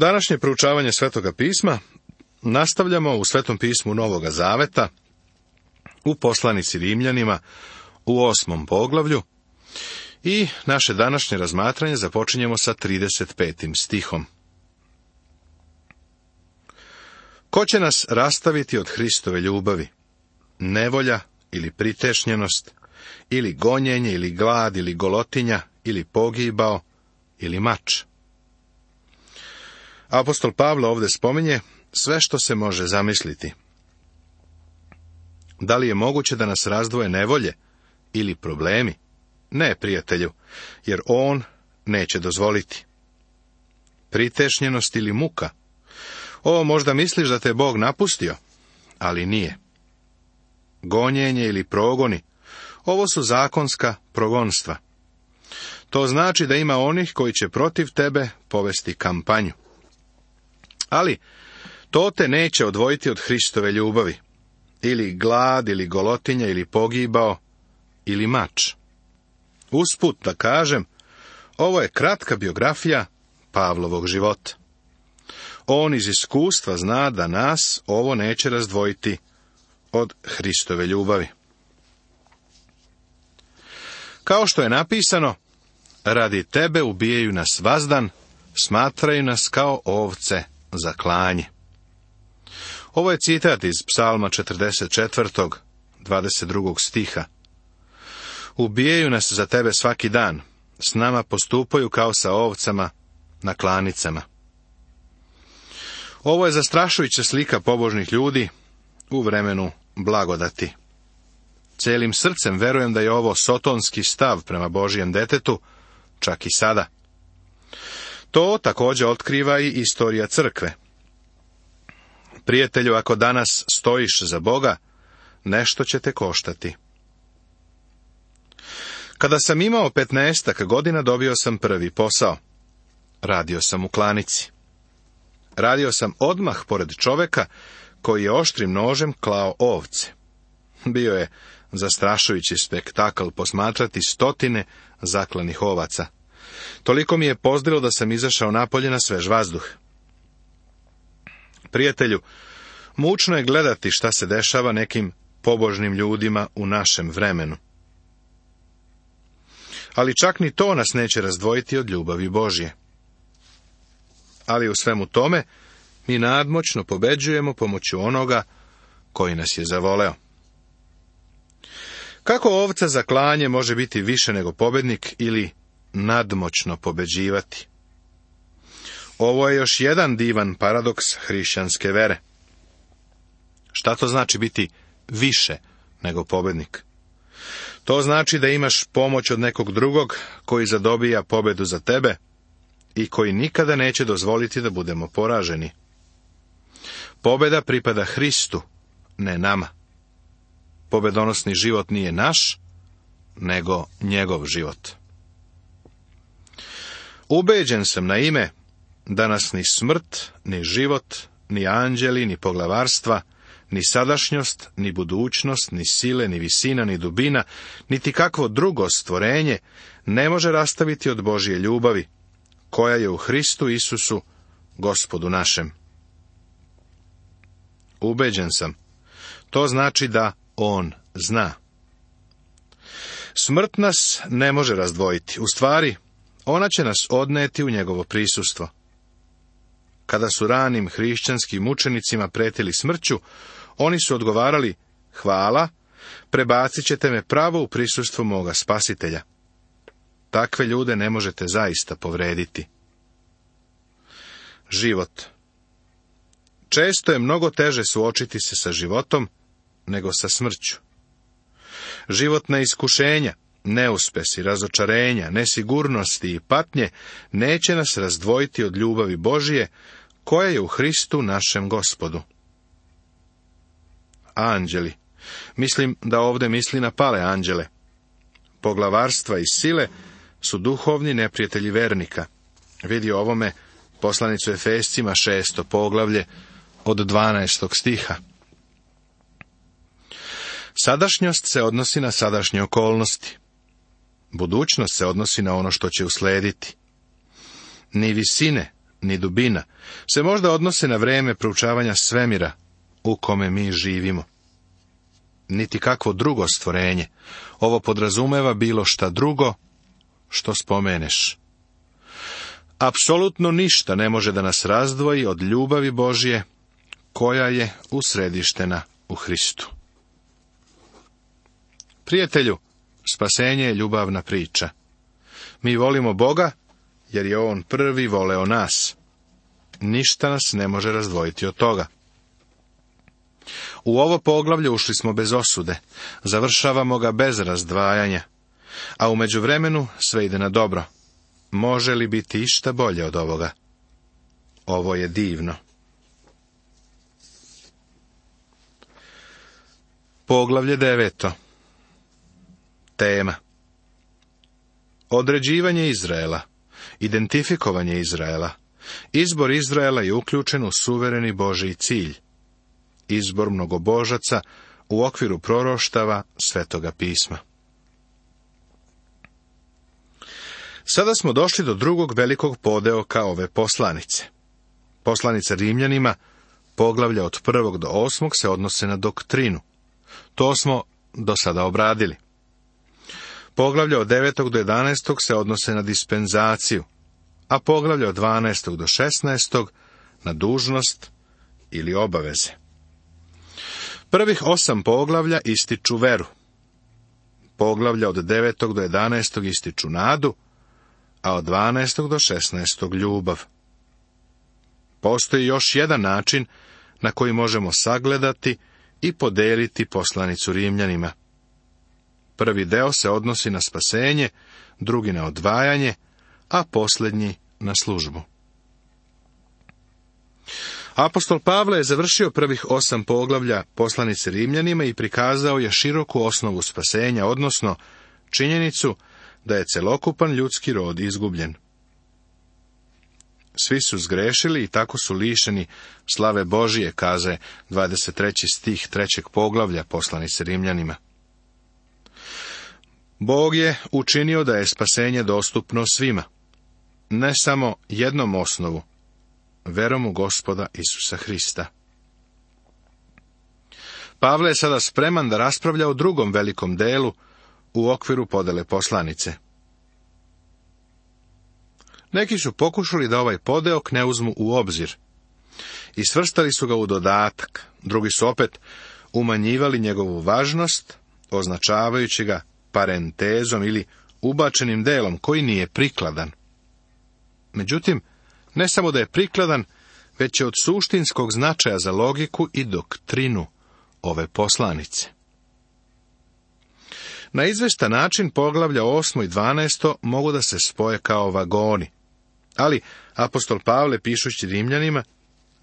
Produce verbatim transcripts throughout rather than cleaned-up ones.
Današnje proučavanje Svetoga pisma nastavljamo u Svetom pismu Novoga Zaveta, u poslanici Rimljanima, u osmom poglavlju, i naše današnje razmatranje započinjemo sa trideset petim stihom. Ko će nas rastaviti od Hristove ljubavi? Nevolja ili pritešnjenost, ili gonjenje, ili glad, ili golotinja, ili pogibao, ili mač? Apostol Pavle ovdje spominje sve što se može zamisliti. Da li je moguće da nas razdvoje nevolje ili problemi? Ne, prijatelju, jer on neće dozvoliti. Pritešnjenost ili muka? O, možda misliš da te Bog napustio, ali nije. Gonjenje ili progoni? Ovo su zakonska progonstva. To znači da ima onih koji će protiv tebe povesti kampanju. Ali to te neće odvojiti od Hristove ljubavi. Ili glad, ili golotinja, ili pogibao, ili mač. Usput da kažem, ovo je kratka biografija Pavlovog života. On iz iskustva zna da nas ovo neće razdvojiti od Hristove ljubavi. Kao što je napisano, radi tebe ubijaju nas vazdan, smatraju nas kao ovce za klanje. Ovo je citat iz Psalma četrdeset četvrtog, dvadeset drugog stiha. Ubijaju nas za tebe svaki dan, s nama postupaju kao sa ovcama na klanicama. Ovo je zastrašujuća slika pobožnih ljudi u vremenu blagodati. Celim srcem verujem da je ovo sotonski stav prema Božijem detetu, čak i sada. To također otkriva i istorija crkve. Prijatelju, ako danas stojiš za Boga, nešto će te koštati. Kada sam imao petnaestak godina, dobio sam prvi posao. Radio sam u klanici. Radio sam odmah pored čoveka koji je oštrim nožem klao ovce. Bio je zastrašujući spektakl posmatrati stotine zaklanih ovaca. Toliko mi je pozdrilo da sam izašao napolje na svež vazduh. Prijatelju, mučno je gledati šta se dešava nekim pobožnim ljudima u našem vremenu. Ali čak ni to nas neće razdvojiti od ljubavi Božje. Ali u svemu tome, mi nadmoćno pobeđujemo pomoću onoga koji nas je zavoleo. Kako ovca za klanje može biti više nego pobednik ili nadmoćno pobeđivati? Ovo je još jedan divan paradoks hrišćanske vere. Šta to znači biti više nego pobednik? To znači da imaš pomoć od nekog drugog koji zadobija pobedu za tebe i koji nikada neće dozvoliti da budemo poraženi. Pobeda pripada Hristu, ne nama. Pobedonosni život nije naš, nego njegov život. Ubeđen sam na ime da nas ni smrt, ni život, ni anđeli, ni poglavarstva, ni sadašnjost, ni budućnost, ni sile, ni visina, ni dubina, niti kakvo drugo stvorenje ne može rastaviti od Božje ljubavi, koja je u Hristu Isusu, Gospodu našem. Ubeđen sam. To znači da on zna. Smrt nas ne može razdvojiti. U stvari, ona će nas odneti u njegovo prisustvo. Kada su ranim hrišćanskim mučenicima pretili smrću, oni su odgovarali: hvala, prebacit ćete me pravo u prisustvo moga Spasitelja. Takve ljude ne možete zaista povrediti. Život. Često je mnogo teže suočiti se sa životom nego sa smrću. Životna iskušenja, neuspesi, razočarenja, nesigurnosti i patnje neće nas razdvojiti od ljubavi Božije koja je u Hristu našem Gospodu. Anđeli. Mislim da ovdje misli na pale anđele. Poglavarstva i sile su duhovni neprijatelji vernika. Vidi ovome poslanicu Efescima šesto poglavlje od dvanaestog stiha. Sadašnjost se odnosi na sadašnje okolnosti. Budućnost se odnosi na ono što će uslediti. Ni visine, ni dubina se možda odnose na vrijeme proučavanja svemira u kome mi živimo. Niti kakvo drugo stvorenje. Ovo podrazumeva bilo šta drugo što spomeneš. Apsolutno ništa ne može da nas razdvoji od ljubavi Božje koja je usredištena u Hristu. Prijatelju, spasenje je ljubavna priča. Mi volimo Boga jer je On prvi voleo nas. Ništa nas ne može razdvojiti od toga. U ovo poglavlje ušli smo bez osude, završavamo ga bez razdvajanja, a u međuvremenu sve ide na dobro. Može li biti išta bolje od ovoga? Ovo je divno. Poglavlje deveto. Tema. Određivanje Izraela, identifikovanje Izraela. Izbor Izraela je uključen u suvereni Božji cilj. Izbor mnogobožaca u okviru proroštava Svetoga pisma. Sada smo došli do drugog velikog podeoka ove poslanice. Poslanica Rimljanima, poglavlja od prvog do osmog, se odnose na doktrinu. To smo do sada obradili. Poglavlja od devetog do jedanaestog se odnose na dispenzaciju, a poglavlja od dvanaestog do šesnaestog na dužnost ili obaveze. Prvih osam poglavlja ističu veru. Poglavlja od devetog do jedanaestog ističu nadu, a od dvanaestog do šesnaestog ljubav. Postoji još jedan način na koji možemo sagledati i podeliti poslanicu Rimljanima. Prvi deo se odnosi na spasenje, drugi na odvajanje, a posljednji na službu. Apostol Pavle je završio prvih osam poglavlja poslanice Rimljanima i prikazao je široku osnovu spasenja, odnosno činjenicu da je celokupan ljudski rod izgubljen. Svi su zgrešili i tako su lišeni slave Božije, kaže dvadeset treći stih trećeg poglavlja poslanice Rimljanima. Bog je učinio da je spasenje dostupno svima, ne samo jednom osnovu, verom u Gospoda Isusa Hrista. Pavle je sada spreman da raspravlja o drugom velikom delu u okviru podele poslanice. Neki su pokušali da ovaj podeok ne uzmu u obzir i svrstali su ga u dodatak, drugi su opet umanjivali njegovu važnost, označavajući ga parentezom ili ubačenim delom koji nije prikladan. Međutim, ne samo da je prikladan, već je od suštinskog značaja za logiku i doktrinu ove poslanice. Na izvestan način poglavlja osmo i dvanaesto mogu da se spoje kao vagoni, ali apostol Pavle, pišući Rimljanima,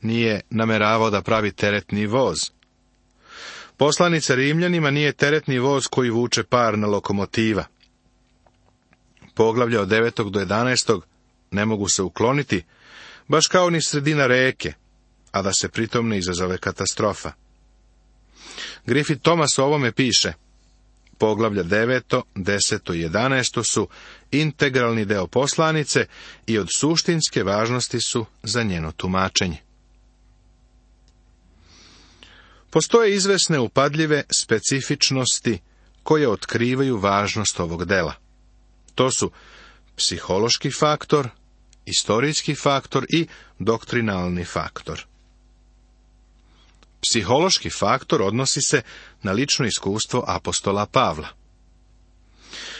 nije nameravao da pravi teretni voz. Poslanica Rimljanima nije teretni voz koji vuče parna lokomotiva. Poglavlja od devetog do jedanaestog ne mogu se ukloniti, baš kao ni sredina reke, a da se pritom ne izazove katastrofa. Griffith Thomas o ovome piše: poglavlja deveto, deseto i jedanaesto su integralni deo poslanice i od suštinske važnosti su za njeno tumačenje. Postoje izvesne upadljive specifičnosti koje otkrivaju važnost ovog dela. To su psihološki faktor, istorijski faktor i doktrinalni faktor. Psihološki faktor odnosi se na lično iskustvo apostola Pavla.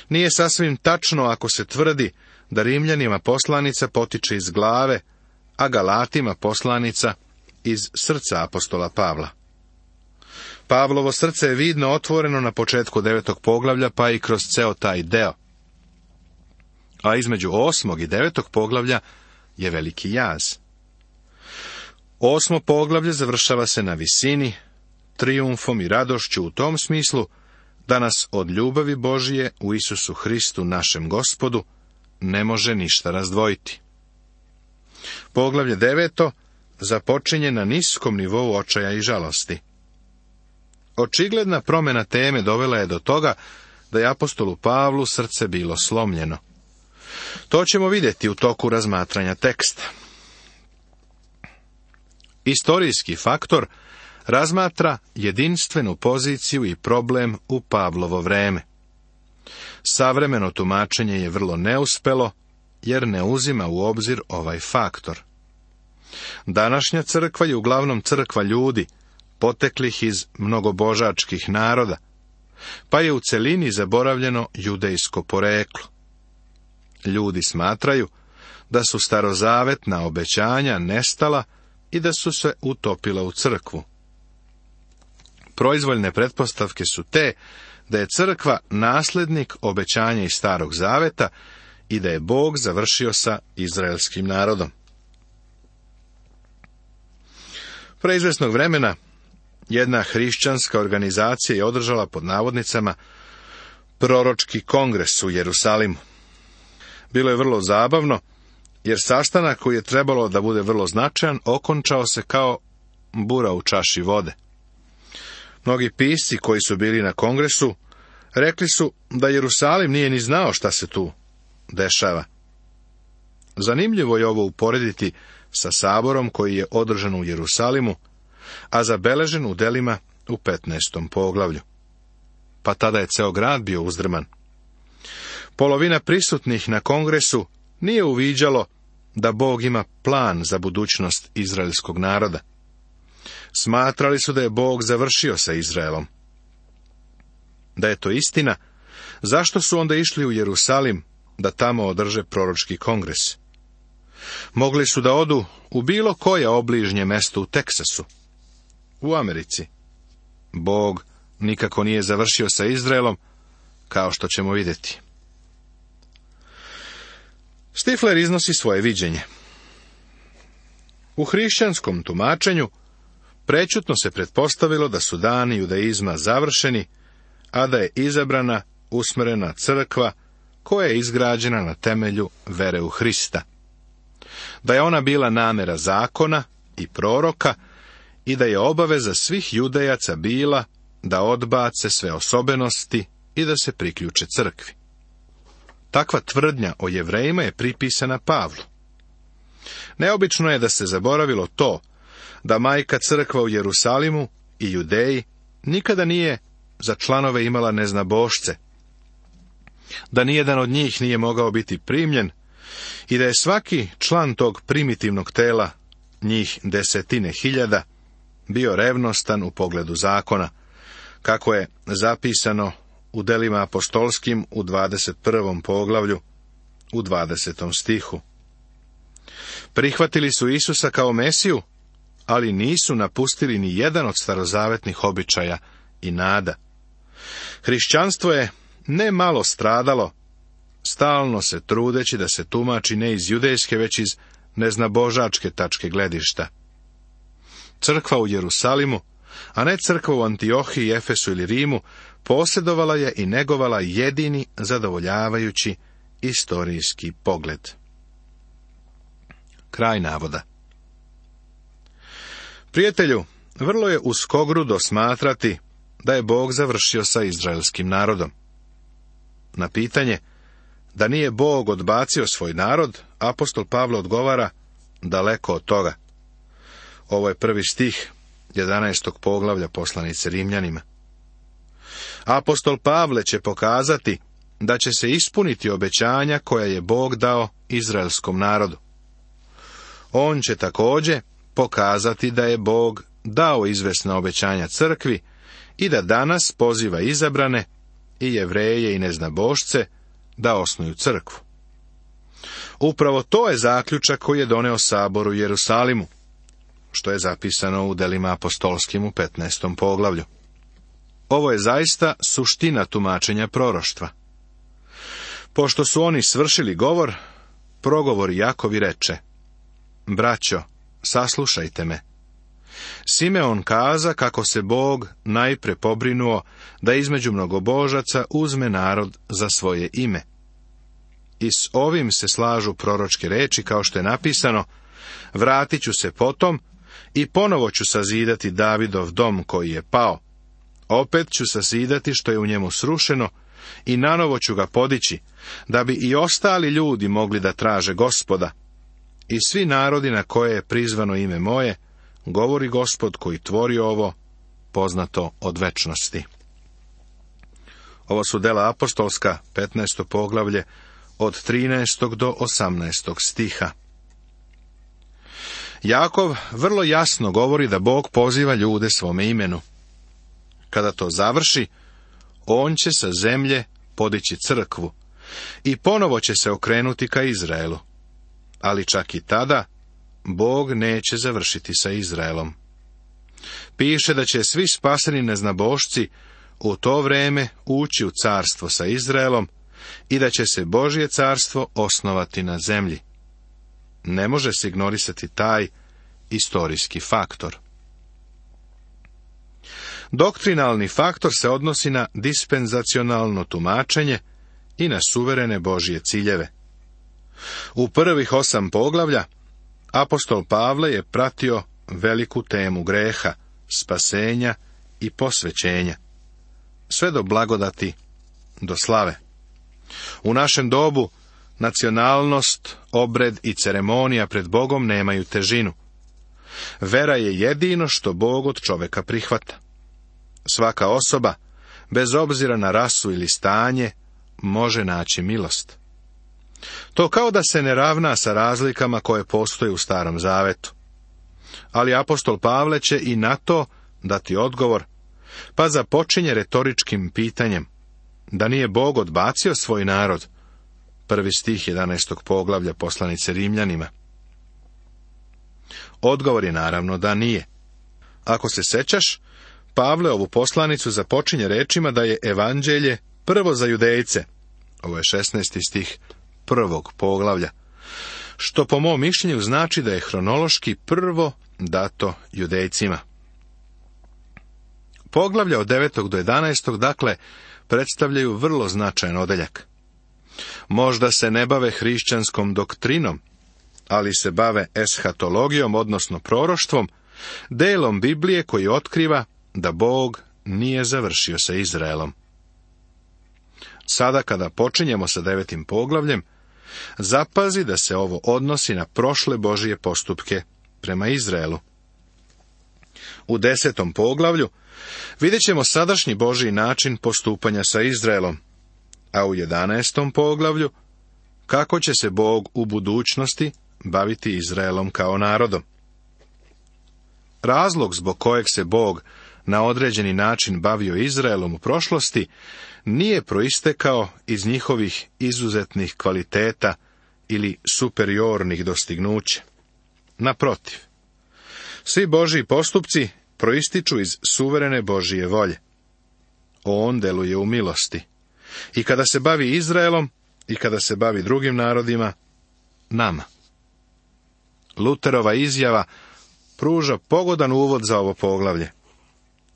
Nije sasvim tačno ako se tvrdi da Rimljanima poslanica potiče iz glave, a Galatima poslanica iz srca apostola Pavla. Pavlovo srce je vidno otvoreno na početku devetog poglavlja, pa i kroz ceo taj deo. A između osmog i devetog poglavlja je veliki jaz. Osmo poglavlje završava se na visini, trijumfom i radošću u tom smislu da nas od ljubavi Božije u Isusu Hristu našem Gospodu ne može ništa razdvojiti. Poglavlje deveto započinje na niskom nivou očaja i žalosti. Očigledna promjena teme dovela je do toga da je apostolu Pavlu srce bilo slomljeno. To ćemo vidjeti u toku razmatranja teksta. Istorijski faktor razmatra jedinstvenu poziciju i problem u Pavlovo vreme. Savremeno tumačenje je vrlo neuspelo, jer ne uzima u obzir ovaj faktor. Današnja crkva je uglavnom crkva ljudi, poteklih iz mnogobožačkih naroda, pa je u celini zaboravljeno judejsko poreklo. Ljudi smatraju da su starozavetna obećanja nestala i da su se utopila u crkvu. Proizvoljne pretpostavke su te da je crkva naslednik obećanja iz Starog zaveta i da je Bog završio sa izraelskim narodom. Pre izvesnog vremena jedna hrišćanska organizacija je održala pod navodnicama proročki kongres u Jerusalimu. Bilo je vrlo zabavno, jer sastanak koji je trebalo da bude vrlo značajan okončao se kao bura u čaši vode. Mnogi pisci koji su bili na kongresu rekli su da Jerusalim nije ni znao šta se tu dešava. Zanimljivo je ovo uporediti sa saborom koji je održan u Jerusalimu, a zabeležen u delima u petnaestom poglavlju. Pa tada je ceo grad bio uzdrman. Polovina prisutnih na kongresu nije uviđalo da Bog ima plan za budućnost izraelskog naroda. Smatrali su da je Bog završio sa Izraelom. Da je to istina, zašto su onda išli u Jerusalim da tamo održe proročki kongres? Mogli su da odu u bilo koje obližnje mesto u Teksasu, u Americi. Bog nikako nije završio sa Izraelom, kao što ćemo vidjeti. Stifler iznosi svoje viđenje. U hrišćanskom tumačenju prećutno se pretpostavilo da su dani judaizma završeni, a da je izabrana, usmerena crkva koja je izgrađena na temelju vere u Hrista. Da je ona bila namera zakona i proroka i da je obaveza svih judejaca bila da odbace sve osobenosti i da se priključe crkvi. Takva tvrdnja o Jevrejima je pripisana Pavlu. Neobično je da se zaboravilo to da majka crkva u Jerusalimu i Judeji nikada nije za članove imala neznabošce, da nijedan od njih nije mogao biti primljen i da je svaki član tog primitivnog tela, njih desetine hiljada, bio revnostan u pogledu zakona, kako je zapisano u delima apostolskim u dvadeset prvom poglavlju, u dvadesetom stihu. Prihvatili su Isusa kao Mesiju, ali nisu napustili ni jedan od starozavetnih običaja i nada. Hrišćanstvo je ne malo stradalo, stalno se trudeći da se tumači ne iz judejske, već iz neznabožačke tačke gledišta. Crkva u Jerusalimu, a ne crkva u Antiohiji, Efesu ili Rimu, posjedovala je i negovala jedini zadovoljavajući istorijski pogled. Kraj navoda. Prijatelju, vrlo je uskogrudo smatrati da je Bog završio sa izraelskim narodom. Na pitanje da nije Bog odbacio svoj narod, apostol Pavle odgovara: daleko od toga. Ovo je prvi stih jedanaestog poglavlja poslanice Rimljanima. Apostol Pavle će pokazati da će se ispuniti obećanja koja je Bog dao izraelskom narodu. On će također pokazati da je Bog dao izvesna obećanja crkvi i da danas poziva izabrane i Jevreje i neznabošce da osnuju crkvu. Upravo to je zaključak koji je doneo sabor u Jerusalimu, što je zapisano u delima apostolskim u petnaestom poglavlju. Ovo je zaista suština tumačenja proroštva. Pošto su oni svršili govor, progovor Jakovi reče: braćo, saslušajte me. Simeon kaza kako se Bog najpre pobrinuo da između mnogobožaca uzme narod za svoje ime. I s ovim se slažu proročke reči, kao što je napisano: vratit ću se potom i ponovo ću sazidati Davidov dom koji je pao. Opet ću sazidati što je u njemu srušeno i nanovo ću ga podići, da bi i ostali ljudi mogli da traže Gospoda. I svi narodi na koje je prizvano ime moje govori Gospod koji tvori ovo, poznato od večnosti. Ovo su dela apostolska, petnaesto poglavlje, od trinaestog do osamnaestog stiha. Jakov vrlo jasno govori da Bog poziva ljude svome imenu. Kada to završi, on će sa zemlje podići crkvu i ponovo će se okrenuti ka Izraelu. Ali čak i tada, Bog neće završiti sa Izraelom. Piše da će svi spaseni neznabošci u to vrijeme ući u carstvo sa Izraelom i da će se Božje carstvo osnovati na zemlji. Ne može se ignorisati taj istorijski faktor. Doktrinalni faktor se odnosi na dispenzacionalno tumačenje i na suverene Božje ciljeve. U prvih osam poglavlja apostol Pavle je pratio veliku temu greha, spasenja i posvećenja, sve do blagodati, do slave. U našem dobu nacionalnost, obred i ceremonija pred Bogom nemaju težinu. Vera je jedino što Bog od čoveka prihvata. Svaka osoba, bez obzira na rasu ili stanje, može naći milost. To kao da se ne ravna sa razlikama koje postoje u Starom Zavetu. Ali apostol Pavle će i na to dati odgovor, pa započinje retoričkim pitanjem, da nije Bog odbacio svoj narod. Prvi stih jedanaestog poglavlja poslanice Rimljanima. Odgovor je naravno da nije. Ako se sećaš, Pavle ovu poslanicu započinje rečima da je evanđelje prvo za Judejce. Ovo je šesnaesti stih prvog poglavlja, što po mom mišljenju znači da je hronološki prvo dato Judejcima. Poglavlja od devetog do jedanaestog dakle predstavljaju vrlo značajan odeljak. Možda se ne bave hrišćanskom doktrinom, ali se bave eshatologijom, odnosno proroštvom, delom Biblije koji otkriva da Bog nije završio sa Izraelom. Sada kada počinjemo sa devetim poglavljem, zapazi da se ovo odnosi na prošle Božije postupke prema Izraelu. U desetom poglavlju vidjet ćemo sadašnji Božji način postupanja sa Izraelom, a u jedanaestom poglavlju kako će se Bog u budućnosti baviti Izraelom kao narodom. Razlog zbog kojeg se Bog na određeni način bavio Izraelom u prošlosti nije proistekao iz njihovih izuzetnih kvaliteta ili superiornih dostignuća. Naprotiv, svi Božji postupci proističu iz suverene Božije volje. On deluje u milosti. I kada se bavi Izraelom, i kada se bavi drugim narodima, nama. Luterova izjava pruža pogodan uvod za ovo poglavlje.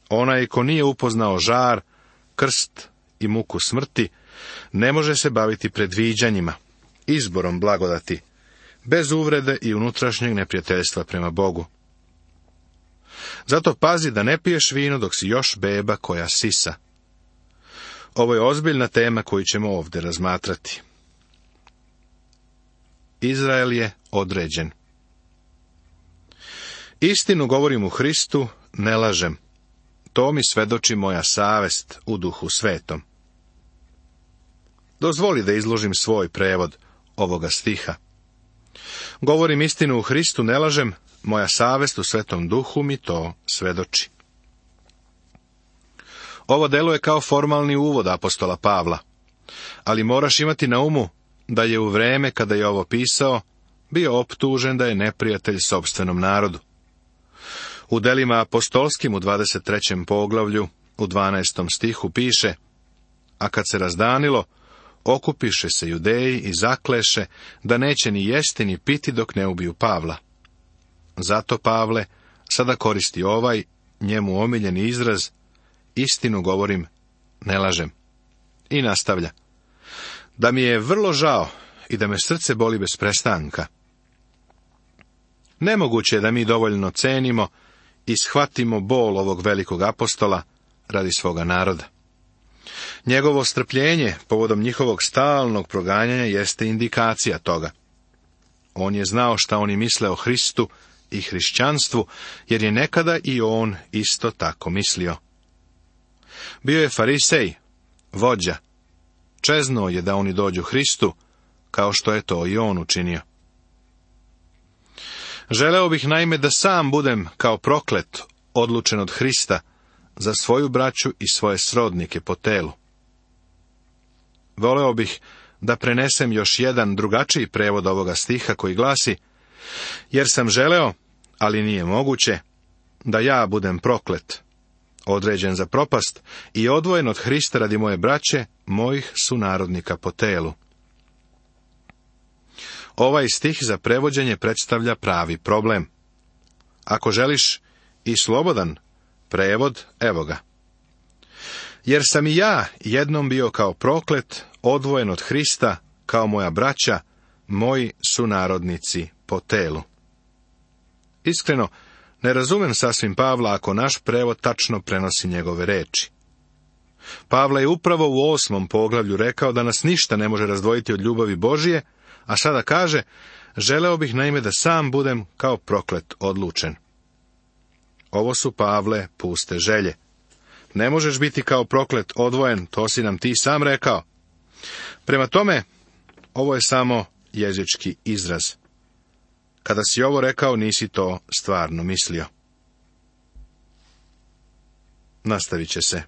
Onaj ko nije upoznao žar, krst i muku smrti, ne može se baviti predviđanjima, izborom blagodati, bez uvrede i unutrašnjeg neprijateljstva prema Bogu. Zato pazi da ne piješ vino dok si još beba koja sisa. Ovo je ozbiljna tema koju ćemo ovdje razmatrati. Izrael je određen. Istinu govorim u Hristu, ne lažem. To mi svedoči moja savest u Duhu Svetom. Dozvoli da izložim svoj prevod ovoga stiha. Govorim istinu u Hristu, ne lažem, moja savest u Svetom Duhu mi to svedoči. Ovo deluje kao formalni uvod apostola Pavla, ali moraš imati na umu da je u vreme kada je ovo pisao bio optužen da je neprijatelj sopstvenom narodu. U delima apostolskim u dvadeset trećem poglavlju u dvanaestom stihu piše: a kad se razdanilo, okupiše se Judeji i zakleše da neće ni jesti ni piti dok ne ubiju Pavla. Zato Pavle sada koristi ovaj njemu omiljeni izraz: istinu govorim, ne lažem. I nastavlja: da mi je vrlo žao i da me srce boli bez prestanka. Nemoguće je da mi dovoljno cenimo i shvatimo bol ovog velikog apostola radi svoga naroda. Njegovo strpljenje povodom njihovog stalnog proganjanja jeste indikacija toga. On je znao šta oni misle o Hristu i hrišćanstvu, jer je nekada i on isto tako mislio. Bio je farisej, vođa. Čeznuo je da oni dođu Hristu, kao što je to i on učinio. Želeo bih naime da sam budem kao proklet, odlučen od Hrista, za svoju braću i svoje srodnike po telu. Voleo bih da prenesem još jedan drugačiji prevod ovoga stiha koji glasi: jer sam želeo, ali nije moguće, da ja budem proklet, određen za propast i odvojen od Hrista radi moje braće, mojih sunarodnika po telu. Ovaj stih za prevođenje predstavlja pravi problem. Ako želiš i slobodan prevod, evo ga. Jer sam i ja jednom bio kao proklet, odvojen od Hrista, kao moja braća, moji sunarodnici po telu. Iskreno, ne razumem sasvim Pavla ako naš prevod tačno prenosi njegove reči. Pavle je upravo u osmom poglavlju rekao da nas ništa ne može razdvojiti od ljubavi Božije, a sada kaže: želeo bih naime da sam budem kao proklet odlučen. Ovo su, Pavle, puste želje. Ne možeš biti kao proklet odvojen, to si nam ti sam rekao. Prema tome, ovo je samo jezički izraz. Kada si ovo rekao, nisi to stvarno mislio. Nastavit će se.